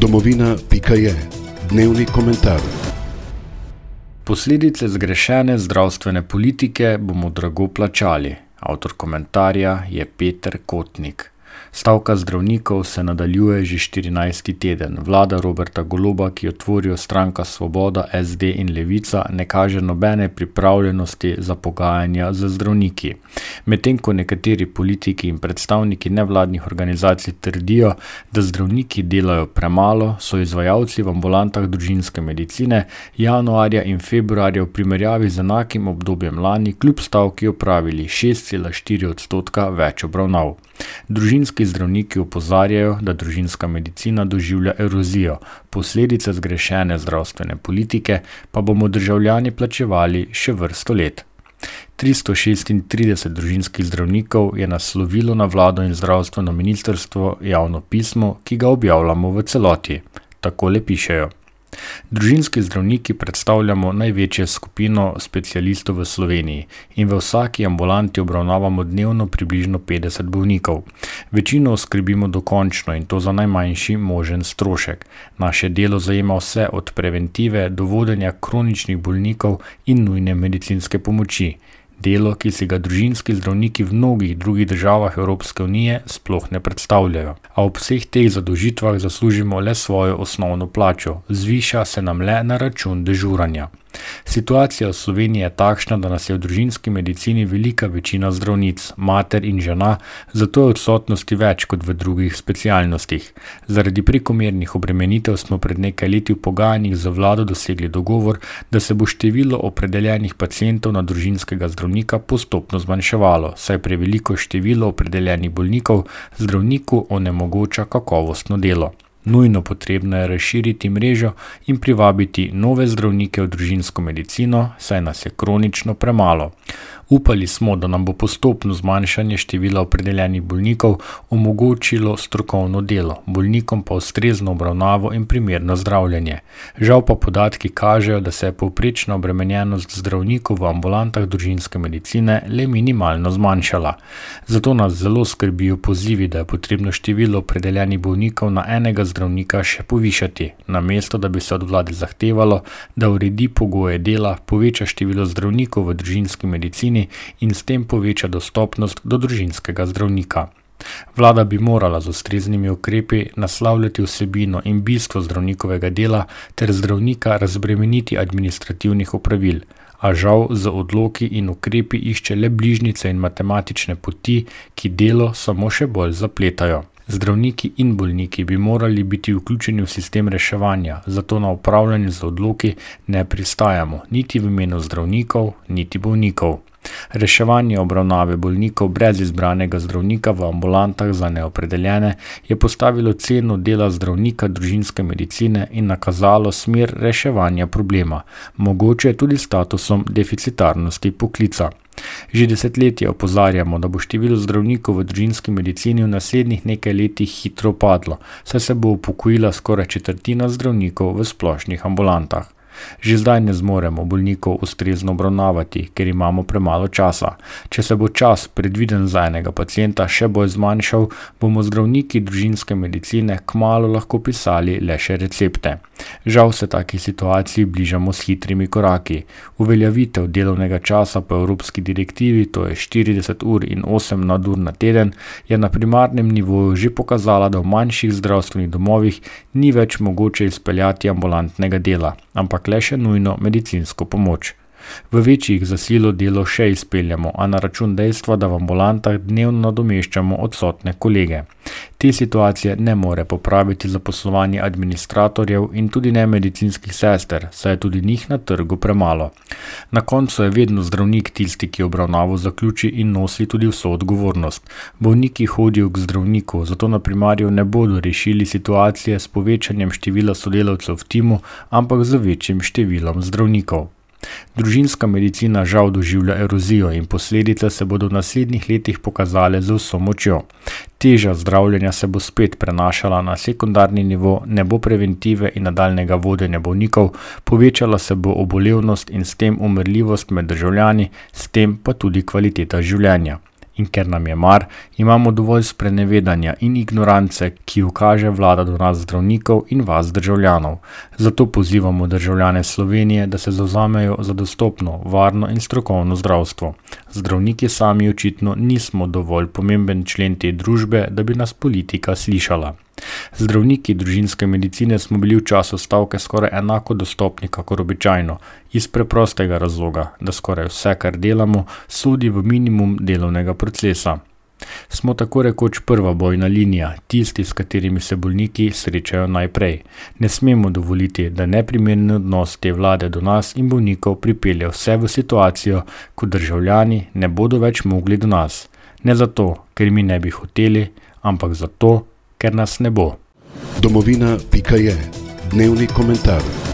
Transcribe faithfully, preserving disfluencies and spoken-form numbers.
Domovina pika je dnevni komentar. Posledice zgrešene zdravstvene politike bomo drago plačali. Avtor komentarja je Peter Kotnik. Stavka zdravnikov se nadaljuje že štirinajsti teden. Vlada Roberta Goloba, ki jo tvorijo Stranka Svoboda, S D in Levica, ne kaže nobene pripravljenosti za pogajanja z zdravniki. Medtem ko nekateri politiki in predstavniki nevladnih organizacij trdijo, da zdravniki delajo premalo, so izvajalci v ambulantah družinske medicine januarja in februarja v primerjavi z enakim obdobjem lani kljub stavki opravili šest cela štiri odstotka več obravnav. Družinski zdravniki opozarjajo, da družinska medicina doživlja erozijo, posledice zgrešene zdravstvene politike pa bomo državljani plačevali še vrsto let. tristo šestintrideset družinskih zdravnikov je naslovilo na vlado in zdravstveno ministrstvo javno pismo, ki ga objavljamo v celoti. Takole pišejo. Družinski zdravniki predstavljamo največjo skupino specialistov v Sloveniji in v vsaki ambulanti obravnavamo dnevno približno petdeset bolnikov. Večino oskrbimo dokončno in to za najmanjši možen strošek. Naše delo zajema vse od preventive do vodenja kroničnih bolnikov in nujne medicinske pomoči. Delo, ki si ga družinski zdravniki v mnogih drugih državah Evropske unije sploh ne predstavljajo. A ob vseh teh zadolžitvah zaslužimo le svojo osnovno plačo, zviša se nam le na račun dežuranja. Situacija v Sloveniji je takšna, da nas je v družinski medicini velika večina zdravnic, mater in žena, zato je odsotnosti več kot v drugih specialnostih. Zaradi prekomernih obremenitev smo pred nekaj leti v pogajanjih z vlado dosegli dogovor, da se bo število opredeljenih pacientov na družinskega zdravnika postopno zmanjševalo, saj preveliko število opredeljenih bolnikov zdravniku onemogoča kakovostno delo. Nujno potrebno je razširiti mrežo in privabiti nove zdravnike v družinsko medicino, saj nas je kronično premalo. Upali smo, da nam bo postopno zmanjšanje števila opredeljenih bolnikov omogočilo strokovno delo, bolnikom pa ustrezno obravnavo in primerno zdravljenje. Žal pa podatki kažejo, da se je povprečna obremenjenost zdravnikov v ambulantah družinske medicine le minimalno zmanjšala. Zato nas zelo skrbijo pozivi, da je potrebno število opredeljenih bolnikov na enega zdravnika še povišati, namesto da bi se od vlade zahtevalo, da uredi pogoje dela, poveča število zdravnikov v družinski medicini in s tem poveča dostopnost do družinskega zdravnika. Vlada bi morala z ustreznimi ukrepi naslavljati vsebino in bistvo zdravnikovega dela ter zdravnika razbremeniti administrativnih opravil, a žal z odloki in ukrepi išče le bližnjice in matematične poti, ki delo samo še bolj zapletajo. Zdravniki in bolniki bi morali biti vključeni v sistem reševanja, zato na upravljanje z odloki ne pristajamo, niti v imenu zdravnikov, niti bolnikov. Reševanje obravnave bolnikov brez izbranega zdravnika v ambulantah za neopredeljene je postavilo ceno dela zdravnika družinske medicine in nakazalo smer reševanja problema, mogoče tudi statusom deficitarnosti poklica. Že desetletje opozarjamo, da bo število zdravnikov v družinski medicini v naslednjih nekaj letih hitro padlo, saj se bo upokojila skoraj četrtina zdravnikov v splošnih ambulantah. Že zdaj ne zmoremo bolnikov ustrezno obravnavati, ker imamo premalo časa. Če se bo čas, predviden za enega pacienta, še bolj zmanjšal, bomo zdravniki družinske medicine kmalu lahko pisali le še recepte. Žal se taki situaciji bližamo s hitrimi koraki. Uveljavitev delovnega časa po evropski direktivi, to je štirideset ur in osem nadur na teden, je na primarnem nivoju že pokazala, da v manjših zdravstvenih domovih ni več mogoče izpeljati ambulantnega dela, ampak le še nujno medicinsko pomoč. V večjih za silo delo še izpeljamo, a na račun dejstva, da v ambulantah dnevno nadomeščamo odsotne kolege. Te situacije ne more popraviti zaposlovanje administratorjev in tudi ne medicinskih sester, saj je tudi njih na trgu premalo. Na koncu je vedno zdravnik tisti, ki obravnavo zaključi in nosi tudi vso odgovornost. Bolniki hodijo k zdravniku, zato na primarju ne bodo rešili situacije s povečanjem števila sodelavcev v timu, ampak z večjim številom zdravnikov. Družinska medicina žal doživlja erozijo in posledice se bodo v naslednjih letih pokazale z vso močjo. Teža zdravljenja se bo spet prenašala na sekundarni nivo, ne bo preventive in nadaljnega vodenja bolnikov, povečala se bo obolevnost in s tem umrljivost med državljani, s tem pa tudi kvaliteta življenja. In ker nam je mar, imamo dovolj sprenevedanja in ignorance, ki jo kaže vlada do nas zdravnikov in vas državljanov. Zato pozivamo državljane Slovenije, da se zavzamejo za dostopno, varno in strokovno zdravstvo. Zdravniki sami očitno nismo dovolj pomemben člen te družbe, da bi nas politika slišala. Zdravniki družinske medicine smo bili v času stavke skoraj enako dostopni kakor običajno, iz preprostega razloga, da skoraj vse, kar delamo, sodi v minimum delovnega procesa. Smo tako rekoč prva bojna linija, tisti, s katerimi se bolniki srečajo najprej. Ne smemo dovoliti, da neprimerni odnos te vlade do nas in bolnikov pripelje vse v situacijo, ko državljani ne bodo več mogli do nas. Ne zato, ker mi ne bi hoteli, ampak zato, ker nas ne bo. Domovina pika je dnevni komentar.